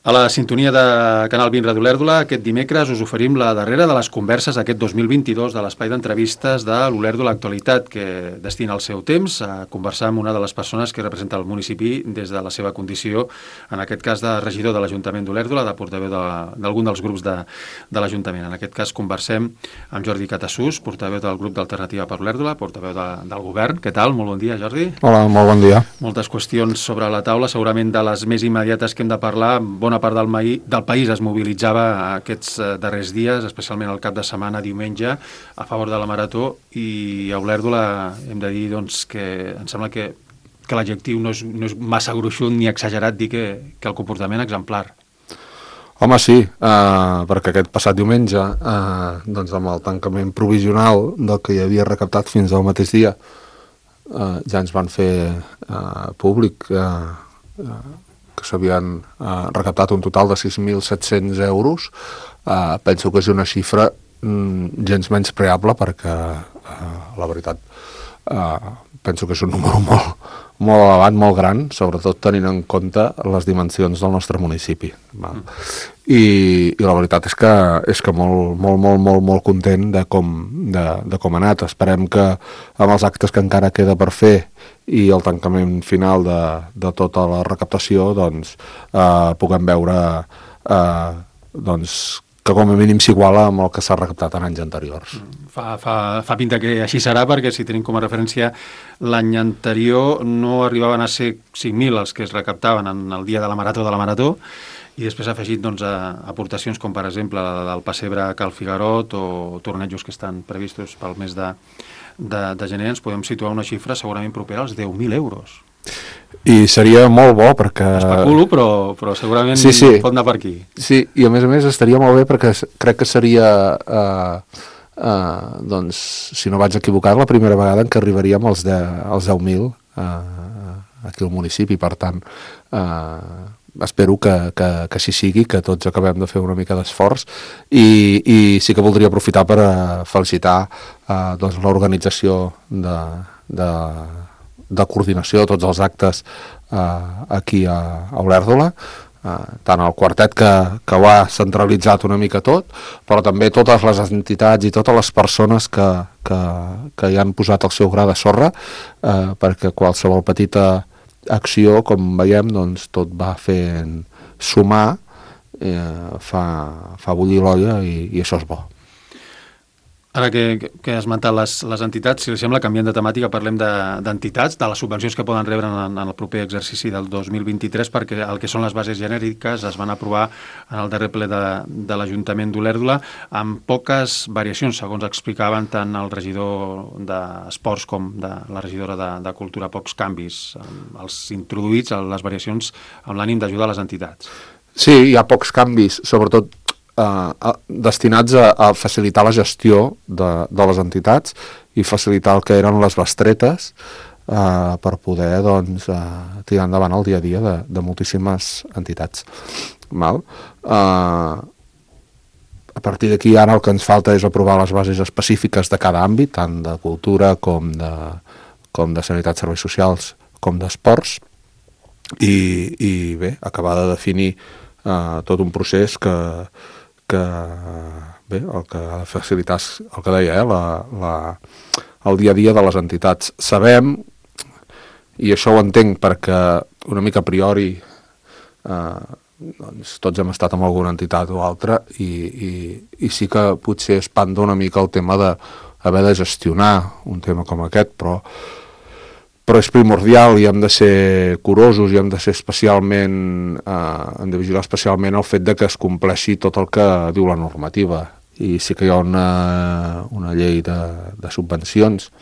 A la sintonia de Canal 20 Ràdio Olèrdola, aquest dimecres us oferim la darrera de les converses aquest 2022 de l'espai d'entrevistes de l'Olèrdola Actualitat, que destina el seu temps a conversar amb una de les persones que representa el municipi des de la seva condició, en aquest cas de regidor de l'Ajuntament d'Olèrdola, de portaveu d'algun dels grups de l'Ajuntament. En aquest cas conversem amb Jordi Catassús, portaveu del grup d'Alternativa per Olèrdola, portaveu del govern. Què tal? Molt bon dia, Jordi. Hola, molt bon dia. Moltes qüestions sobre la taula, segurament de les més immediates que hem de parlar. Bona part del país es mobilitzava aquests darrers dies, especialment el cap de setmana, diumenge, a favor de la Marató, i a Olèrdola hem de dir doncs, que em sembla que l'adjectiu no és massa gruixut ni exagerat dir que el comportament exemplar. Home, sí, perquè aquest passat diumenge, doncs amb el tancament provisional del que hi havia recaptat fins al mateix dia, ja ens van fer públic que s'havien recaptat un total de 6.700 euros. Penso que és una xifra gens menyspreable perquè, la veritat, penso que és un número molt elevat, molt gran, sobretot tenint en compte les dimensions del nostre municipi. I la veritat és que molt content de com ha anat. Esperem que amb els actes que encara queda per fer i el tancament final de tota la recaptació doncs, puguem veure que com a mínim s'iguala amb el que s'ha recaptat en anys anteriors. Fa pinta que així serà, perquè si tenim com a referència l'any anterior no arribaven a ser 5.000 els que es recaptaven en el dia de la Marató, i després ha afegit doncs, aportacions com per exemple la del pessebre Cal Figarot o tornejos que estan previstos pel mes de gener. Ens podem situar una xifra segurament propera als 10.000 euros. I seria molt bo perquè... Especulo, però segurament sí. Pot anar per aquí. Sí, i a més estaria molt bé perquè crec que seria, doncs, si no vaig equivocar, la primera vegada en què arribaríem als 10.000 aquí al municipi. Per tant, espero que així sigui, que tots acabem de fer una mica d'esforç, i sí que voldria aprofitar per felicitar doncs, l'organització de coordinació de tots els actes aquí a Olèrdola, tant el quartet que ho ha centralitzat una mica tot, però també totes les entitats i totes les persones que hi han posat el seu gra de sorra, perquè qualsevol petita acció, com veiem, doncs, tot va fent sumar, fa bullir l'olla, i això és bo. Ara que has esmentat les entitats, si li sembla, canviant de temàtica, parlem d'entitats, de les subvencions que poden rebre en el proper exercici del 2023, perquè el que són les bases genèriques es van aprovar en el darrer ple de l'Ajuntament d'Olèrdola, amb poques variacions, segons explicaven tant el regidor d'Esports com de la regidora de Cultura, pocs canvis. Els introduïts, les variacions, amb l'ànim d'ajudar les entitats. Sí, hi ha pocs canvis, sobretot destinats a facilitar la gestió de les entitats i facilitar el que eren les bestretes per poder doncs, tirar endavant el dia a dia de moltíssimes entitats. Val? A partir d'aquí ara el que ens falta és aprovar les bases específiques de cada àmbit, tant de cultura com de sanitat, serveis socials, com d'esports, i bé, acabar de definir tot un procés que bé, el que ha de facilitar és el que deia, el dia a dia de les entitats. Sabem, i això ho entenc perquè una mica a priori doncs, tots hem estat en alguna entitat o altra, i sí que potser espanta una mica el tema d'haver de gestionar un tema com aquest, però és primordial, i hem de ser curosos, i hem de ser hem de vigilar especialment el fet de que es compleixi tot el que diu la normativa. I sí que hi ha una llei de subvencions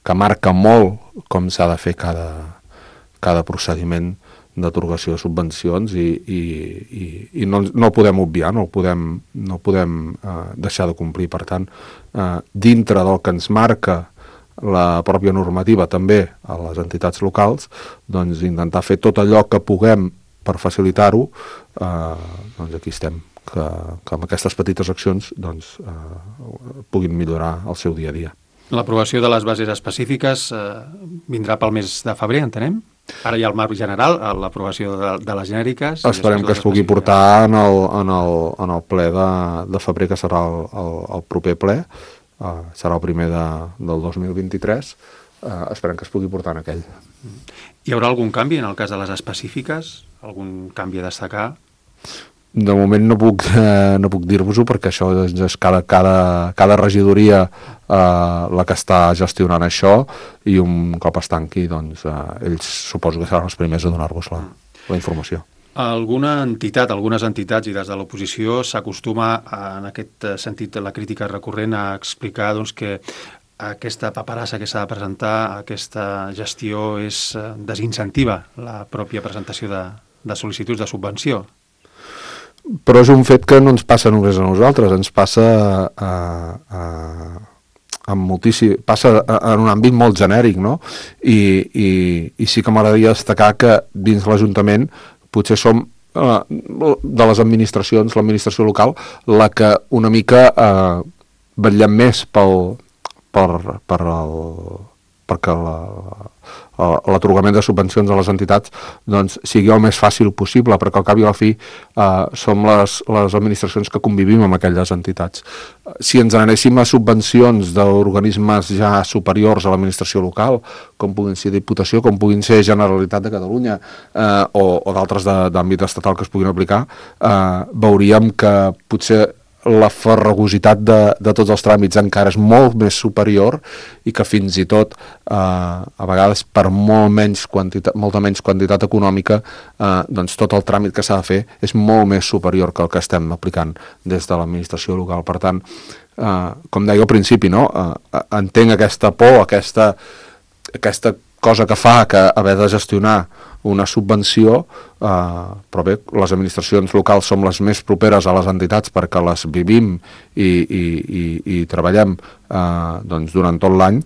que marca molt com s'ha de fer cada procediment d'atorgació de subvencions, i no el podem obviar, no el podem deixar de complir. Per tant, dintre del que ens marca la pròpia normativa, també a les entitats locals, doncs intentar fer tot allò que puguem per facilitar-ho, doncs aquí estem, que amb aquestes petites accions doncs, puguin millorar el seu dia a dia. L'aprovació de les bases específiques vindrà pel mes de febrer, entenem? Ara hi ha el marc general, l'aprovació de les genèriques... Esperem que es pugui portar en el ple de febrer, que serà el proper ple, serà el primer del 2023, esperem que es pugui portar en aquell. Hi haurà algun canvi en el cas de les específiques? Algun canvi a destacar? De moment no puc dir-vos-ho, perquè això és cada regidoria la que està gestionant això, i un cop es tanqui, doncs ells suposo que seran els primers a donar-vos la informació. Algunes entitats i des de l'oposició s'acostuma, en aquest sentit, la crítica recurrent, a explicar doncs, que aquesta paperassa que s'ha de presentar, aquesta gestió desincentiva la pròpia presentació de sol·licituds de subvenció. Però és un fet que no ens passa només a nosaltres, ens passa passa en un àmbit molt genèric, no? I sí que m'agradaria destacar que dins l'Ajuntament potser som de les administracions, l'administració local, la que una mica vetllem més perquè l'atorgament de subvencions a les entitats doncs, sigui el més fàcil possible, perquè al cap i a la fi som les administracions que convivim amb aquelles entitats. Si ens anéssim a subvencions d'organismes ja superiors a l'administració local, com puguin ser Diputació, com puguin ser Generalitat de Catalunya o d'altres d'àmbit estatal que es puguin aplicar, veuríem que potser la farragositat de tots els tràmits encara és molt més superior, i que fins i tot a vegades per molta menys quantitat econòmica doncs tot el tràmit que s'ha de fer és molt més superior que el que estem aplicant des de l'administració local. Per tant, com deia al principi, no? Entenc aquesta por, aquesta cosa que fa que haver de gestionar una subvenció, però bé, les administracions locals som les més properes a les entitats perquè les vivim i treballem doncs, durant tot l'any,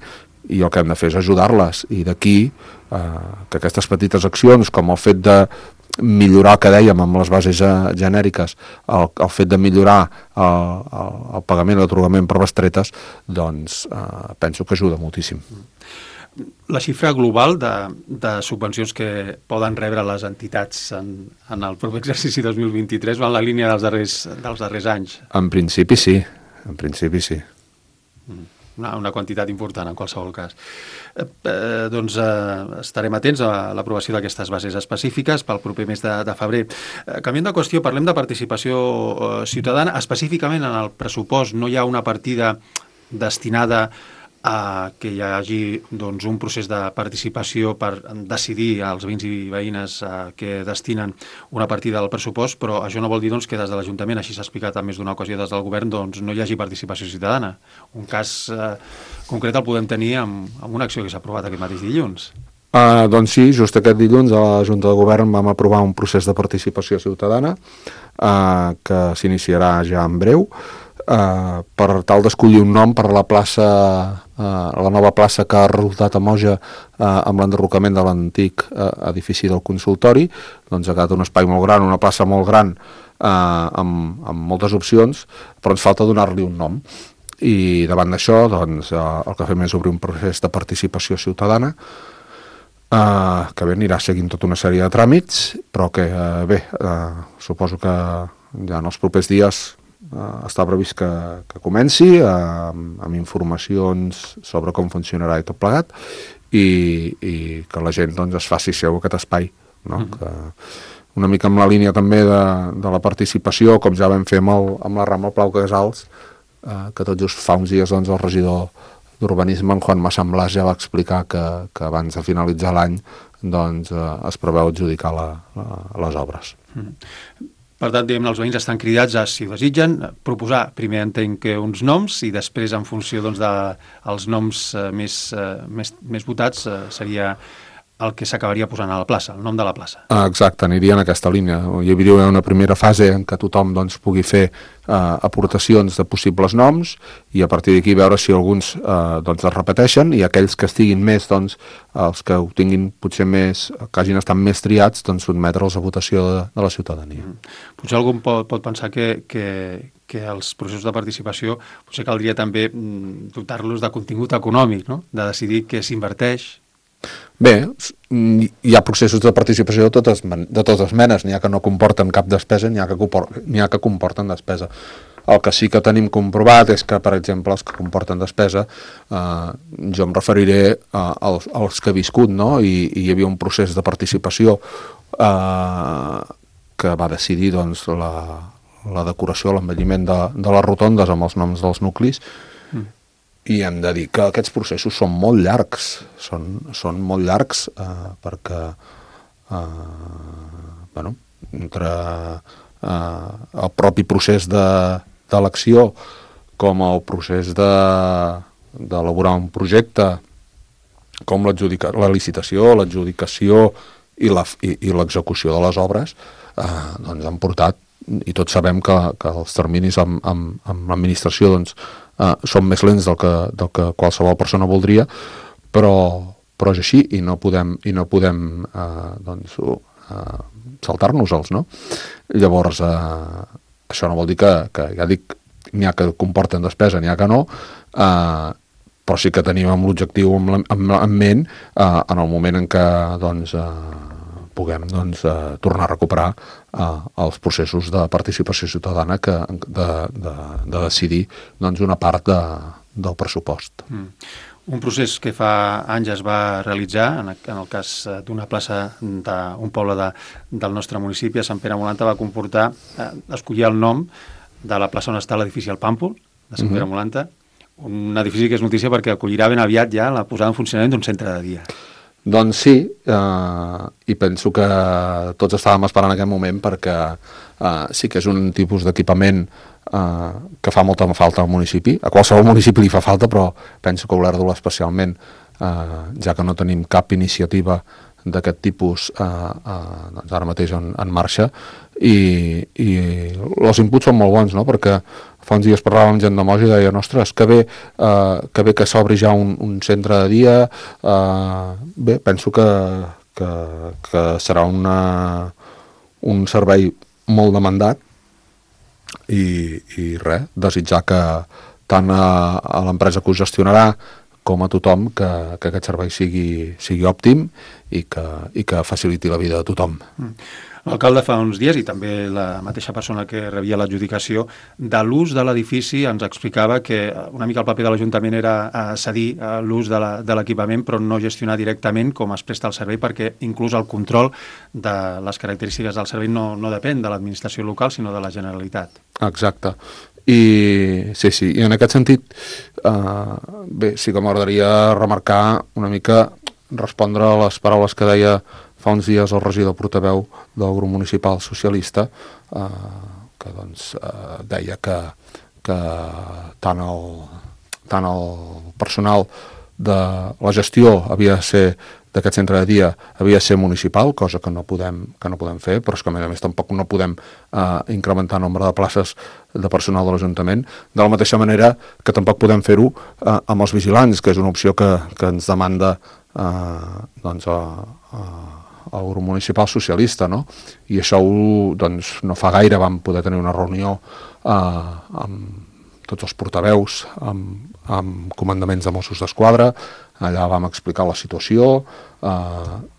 i el que hem de fer és ajudar-les, i d'aquí que aquestes petites accions, com el fet de millorar, que dèiem, amb les bases genèriques, el fet de millorar el pagament, l'atorgament per bestretes, doncs penso que ajuda moltíssim. La xifra global de subvencions que poden rebre les entitats en el proper exercici 2023 va en la línia dels darrers anys? En principi sí, en principi sí. Una quantitat important, en qualsevol cas. Doncs estarem atents a l'aprovació d'aquestes bases específiques pel proper mes de febrer. Canviant de qüestió, parlem de participació ciutadana. Específicament en el pressupost no hi ha una partida destinada a que hi hagi doncs, un procés de participació per decidir als veïns i veïnes que destinen una partida del pressupost, però això no vol dir doncs, que des de l'Ajuntament, així s'ha explicat en més d'una ocasió des del Govern, doncs, no hi hagi participació ciutadana. Un cas concret el podem tenir amb una acció que s'ha aprovat aquest mateix dilluns. Doncs sí, just aquest dilluns a la Junta de Govern vam aprovar un procés de participació ciutadana que s'iniciarà ja en breu, per tal d'escollir un nom per a la nova plaça que ha resultat a Moja amb l'enderrocament de l'antic edifici del consultori. Doncs ha quedat un espai molt gran, una plaça molt gran, amb moltes opcions, però ens falta donar-li un nom. I davant d'això doncs, el que fem és obrir un procés de participació ciutadana que bé, anirà seguint tota una sèrie de tràmits, però que bé, suposo que ja en els propers dies està previst que comenci amb informacions sobre com funcionarà i tot plegat, i que la gent doncs, es faci seu aquest espai, no? Que una mica amb la línia també de la participació, com ja vam fer amb la Rambla Plau Casals, que tot just fa uns dies doncs, el regidor d'Urbanisme, en Juan Massamblàs, ja va explicar que abans de finalitzar l'any doncs, es preveu adjudicar les obres. Per tant, diguem, els veïns estan cridats a, si ho desitgen, proposar, primer entenc que uns noms, i després, en funció doncs, dels noms més votats, seria el que s'acabaria posant a la plaça, el nom de la plaça. Exacte, aniria en aquesta línia. Hi hauria una primera fase en què tothom doncs, pugui fer aportacions de possibles noms, i a partir d'aquí veure si alguns doncs, es repeteixen, i aquells que estiguin més, doncs, els que ho tinguin potser més, que hagin estat més triats, doncs sotmetre'ls a votació de la ciutadania. Potser algú pot pensar que els processos de participació potser caldria també dotar-los de contingut econòmic, no? De decidir què s'inverteix, Bé, hi ha processos de participació de totes menes, n'hi ha que no comporten cap despesa, n'hi ha que comporten despesa. El que sí que tenim comprovat és que, per exemple, els que comporten despesa, jo em referiré als que he viscut, no? I hi havia un procés de participació que va decidir doncs, la decoració, l'embelliment de les rotondes amb els noms dels nuclis, i hem de dir que aquests processos són molt llargs, són molt llargs perquè entre el propi procés d'elecció com el procés d'elaborar un projecte, com la licitació, l'adjudicació i l'execució de les obres, doncs han portat, i tots sabem que els terminis amb l'administració doncs, són més lents del que qualsevol persona voldria, però és així i no podem doncs, saltar-nos-els, no? Llavors, això no vol dir que ja dic, n'hi ha que comporten despesa, n'hi ha que no, però sí que tenim l'objectiu en ment en el moment en què doncs, puguem doncs, tornar a recuperar els processos de participació ciutadana de decidir doncs, una part del pressupost. Un procés que fa anys es va realitzar, en el cas d'una plaça d'un poble del nostre municipi, a Sant Pere Molanta, va comportar escollir el nom de la plaça on està l'edifici El Pàmpol, de Sant Pere Molanta, un edifici que és notícia perquè acollirà ben aviat ja la posada en funcionament d'un centre de dia. Doncs sí, i penso que tots estàvem esperant aquest moment perquè sí que és un tipus d'equipament que fa molta falta al municipi. A qualsevol municipi li fa falta, però penso que Olèrdola especialment, ja que no tenim cap iniciativa d'aquest tipus doncs ara mateix en marxa, i els inputs són molt bons, no? Perquè fa uns dies parlàvem amb gent de Mos i deia, ostres, que bé que s'obri ja un centre de dia. Bé, penso que serà un servei molt demandat i res, desitjar que tant a l'empresa que ho gestionarà com a tothom que aquest servei sigui òptim i que faciliti la vida de tothom. L'alcalde fa uns dies, i també la mateixa persona que rebia l'adjudicació, de l'ús de l'edifici ens explicava que una mica el paper de l'Ajuntament era cedir l'ús de l'equipament però no gestionar directament com es presta el servei, perquè inclús el control de les característiques del servei no depèn de l'administració local sinó de la Generalitat. Exacte. I sí, i en aquest sentit bé, sí que m'agradaria remarcar una mica, respondre a les paraules que deia fa uns dies el regidor portaveu del grup municipal socialista, que doncs deia que tant el personal de la gestió havia de ser d'aquest centre de dia havia de ser municipal, cosa que no podem fer, però és que a més tampoc no podem incrementar el nombre de places de personal de l'Ajuntament, de la mateixa manera que tampoc podem fer-ho amb els vigilants, que és una opció que ens demanda doncs el grup municipal socialista, no? I això doncs, no fa gaire vam poder tenir una reunió amb tots els portaveus, amb comandaments de Mossos d'Esquadra. Allà vam explicar la situació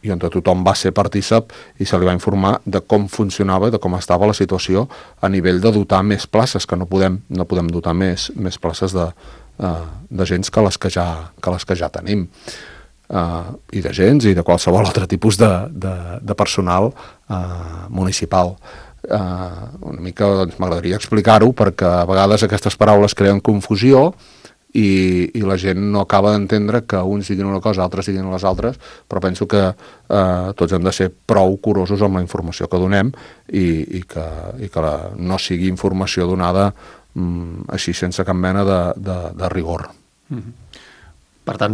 i on tothom va ser partícip i se li va informar de com funcionava, de com estava la situació a nivell de dotar més places, que no podem dotar més places d'agents que les que ja tenim. I d'agents i de qualsevol altre tipus de personal municipal. Una mica doncs, m'agradaria explicar-ho perquè a vegades aquestes paraules creen confusió i la gent no acaba d'entendre que uns diguin una cosa, altres diguin les altres, però penso que tots hem de ser prou curosos amb la informació que donem i que no sigui informació donada així sense cap mena de rigor. Per tant,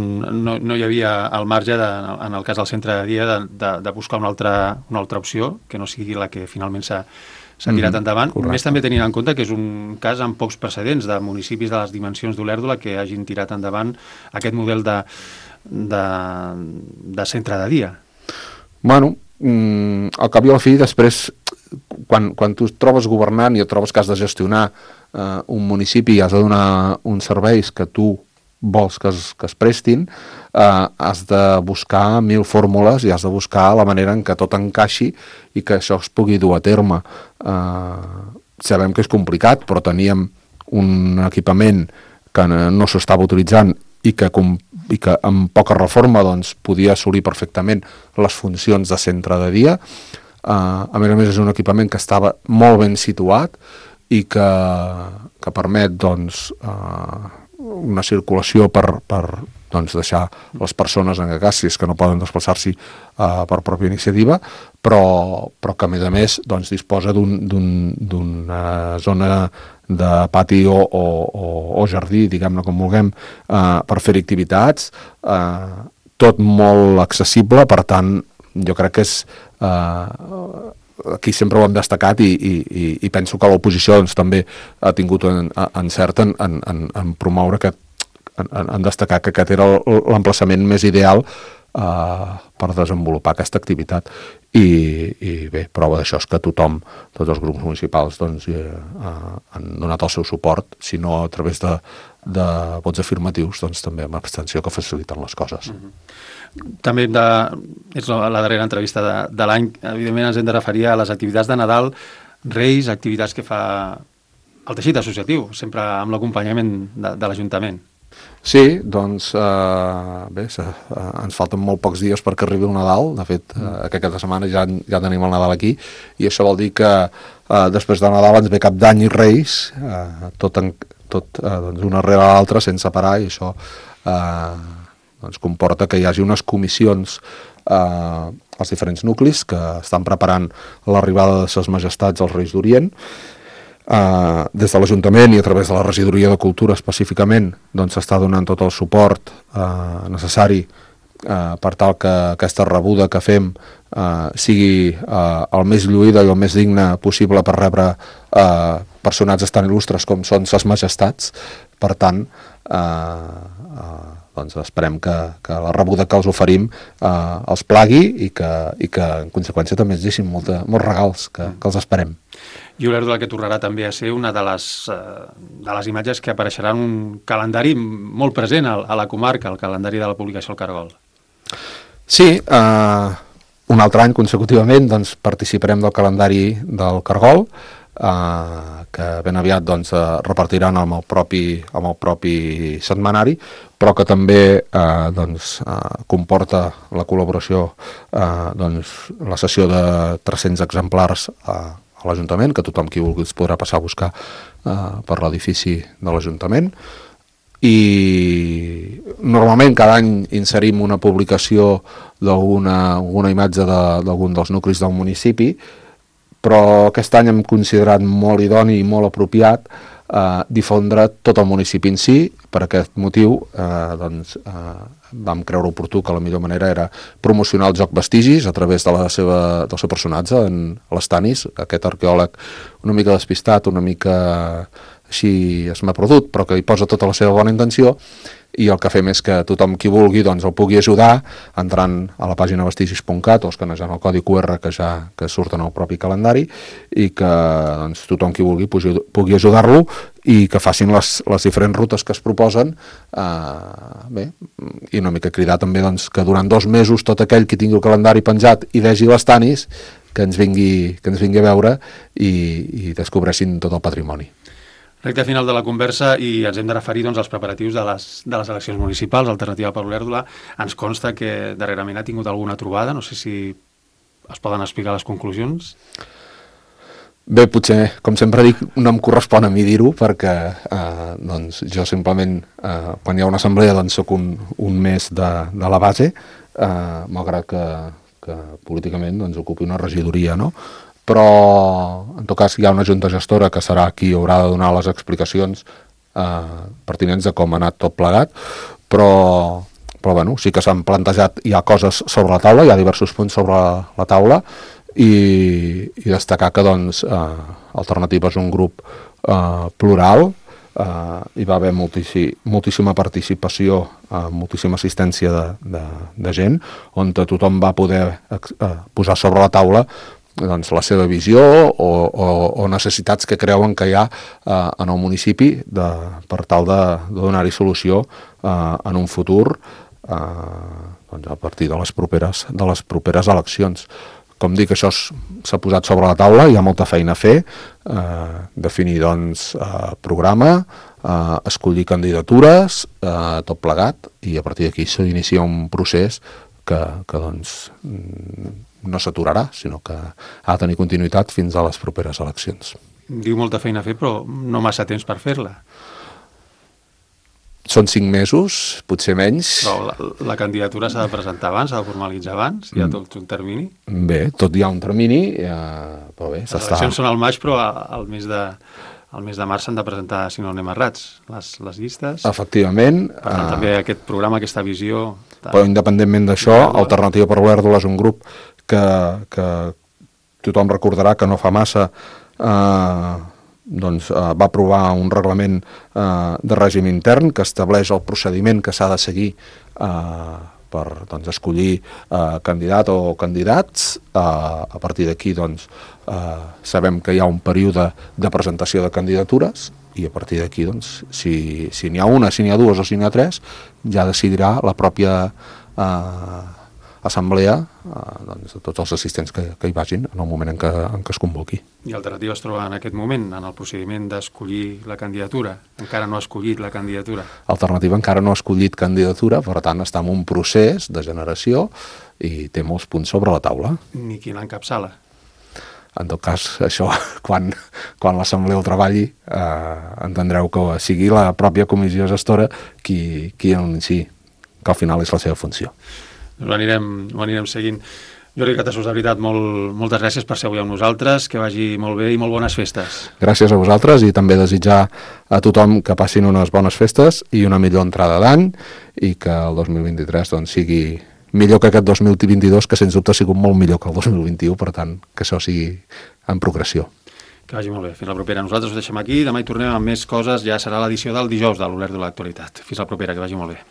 no hi havia al marge, en el cas del centre de dia, de buscar una altra opció, que no sigui la que finalment s'ha tirat endavant. Correcte. Més també tenint en compte que és un cas amb pocs precedents de municipis de les dimensions d'Olèrdola que hagin tirat endavant aquest model de centre de dia. Bueno, al cap i a la fi, després, quan tu et trobes governant i et trobes que has de gestionar un municipi i has de donar uns serveis que tu vols que es prestin, has de buscar 1000 fórmules i has de buscar la manera en què tot encaixi i que això es pugui dur a terme. Sabem que és complicat, però teníem un equipament que no s'estava utilitzant i que amb poca reforma doncs, podia assolir perfectament les funcions de centre de dia. A més és un equipament que estava molt ben situat i que permet doncs, una circulació per doncs, deixar les persones en cas si és que no poden desplaçar-s'hi per pròpia iniciativa, però que a més doncs, disposa d'una zona de pati o jardí, diguem-ne com vulguem, per fer activitats, tot molt accessible. Per tant, jo crec que és aquí sempre ho hem destacat i penso que l'oposició doncs, també ha tingut encert en promoure en destacar que aquest era l'emplaçament més ideal per desenvolupar aquesta activitat. I bé, prova d'això és que tothom, tots els grups municipals doncs, han donat el seu suport, si no a través de vots afirmatius, doncs també amb abstenció, que faciliten les coses. També és la darrera entrevista de l'any, evidentment ens hem de referir a les activitats de Nadal, Reis, activitats que fa el teixit associatiu, sempre amb l'acompanyament de l'Ajuntament. Sí, doncs bé, ens falten molt pocs dies perquè arribi el Nadal. De fet, aquesta setmana ja tenim el Nadal aquí, i això vol dir que després de Nadal ens ve Cap d'Any i Reis, tot doncs, una rere l'altra sense parar, i això doncs, comporta que hi hagi unes comissions als diferents nuclis que estan preparant l'arribada de ses majestats als Reis d'Orient. Des de l'Ajuntament i a través de la Regidoria de Cultura específicament doncs s'està donant tot el suport necessari per tal que aquesta rebuda que fem sigui el més lluïda i el més digna possible per rebre personatges tan il·lustres com són ses majestats. Per tant, doncs esperem que la rebuda que els oferim els plagui i que en conseqüència també ens deixin molts regals que els esperem. I Olèrdola, que tornarà també a ser una de les imatges que apareixerà en un calendari molt present a la comarca, el calendari de la publicació al Cargol. Sí, un altre any consecutivament doncs, participarem del calendari del Cargol, que ben aviat doncs, repartiran amb el propi setmanari, però que també doncs, comporta la col·laboració, doncs, la cessió de 300 exemplars a l'Ajuntament, que tothom qui vulgui es podrà passar a buscar per l'edifici de l'Ajuntament. I normalment cada any inserim una publicació d'alguna imatge d'algun dels nuclis del municipi, però aquest any hem considerat molt idoni i molt apropiat difondre tot el municipi en si. Per aquest motiu doncs, vam creure oportú que la millor manera era promocionar el joc Vestigis a través del seu personatge, en l'Stanis, aquest arqueòleg una mica despistat, una mica així es m'ha perdut, però que hi posa tota la seva bona intenció, i el que fem és que tothom qui vulgui doncs, el pugui ajudar entrant a la pàgina vestigis.cat o escanejant el codi QR que surt en el propi calendari, i que doncs, tothom qui vulgui pugui ajudar-lo i que facin les diferents rutes que es proposen. Bé, i una mica cridar també doncs, que durant 2 mesos tot aquell qui tingui el calendari penjat i vegi les Tanis, que ens vingui a veure i descobreixin tot el patrimoni. Recte final de la conversa, i ens hem de referir doncs, als preparatius de les eleccions municipals. Alternativa per Olèrdola ens consta que darrerament ha tingut alguna trobada, no sé si es poden explicar les conclusions. Bé, potser, com sempre dic, no em correspon a mi dir-ho, perquè doncs, jo simplement, quan hi ha una assemblea, doncs soc un mes de la base, malgrat que políticament doncs, ocupi una regidoria, no? Però en tot cas hi ha una junta gestora que serà qui haurà de donar les explicacions pertinents de com ha anat tot plegat, però bueno, sí que s'han plantejat, hi ha coses sobre la taula, hi ha diversos punts sobre la taula, i destacar que doncs, Alternativa és un grup plural, hi va haver moltíssima participació, moltíssima assistència de gent, on tothom va poder posar sobre la taula doncs, la seva visió o necessitats que creuen que hi ha en el municipi per tal de donar-hi solució en un futur doncs a partir de les properes eleccions. Com dic, això s'ha posat sobre la taula, hi ha molta feina a fer, definir doncs, programa, escollir candidatures, tot plegat, i a partir d'aquí s'inicia un procés que doncs, no s'aturarà, sinó que ha de tenir continuïtat fins a les properes eleccions. Diu molta feina a fer, però no massa temps per fer-la. Són 5 mesos, potser menys. Però la candidatura s'ha de presentar abans, s'ha de formalitzar abans, hi ha tot un termini? Bé, tot hi ha un termini, però bé, les eleccions són al maig, però al mes de març s'han de presentar, si no anem errats, les llistes. Efectivament. Per tant, també aquest programa, aquesta visió... Però independentment d'això, Alternativa per l'Olèrdola és un grup que tothom recordarà que no fa massa va aprovar un reglament de règim intern que estableix el procediment que s'ha de seguir per escollir candidat o candidats. A partir d'aquí sabem que hi ha un període de presentació de candidatures i a partir d'aquí si n'hi ha una, si n'hi ha dues o si n'hi ha tres, ja decidirà la pròpia assemblea de tots els assistents que hi vagin en el moment en què es convoqui. I Alternativa es troba en aquest moment en el procediment d'escollir la candidatura? Encara no ha escollit la candidatura? Alternativa encara no ha escollit candidatura, per tant està en un procés de generació i té molts punts sobre la taula. Ni qui l'encapçala? En tot cas, això, quan l'assemblea el treballi, entendreu que sigui la pròpia comissió gestora qui anunciï que al final és la seva funció. Ho anirem seguint. Jordi Catassos, de veritat, moltes gràcies per ser avui amb nosaltres, que vagi molt bé i molt bones festes. Gràcies a vosaltres i també desitjar a tothom que passin unes bones festes i una millor entrada d'any i que el 2023 sigui millor que aquest 2022, que sens dubte ha sigut molt millor que el 2021, per tant, que això sigui en progressió. Que vagi molt bé. Fins la propera. Nosaltres ho deixem aquí, demà hi tornem amb més coses, ja serà l'edició del dijous de l'Olèrdola de l'Actualitat. Fins la propera, que vagi molt bé.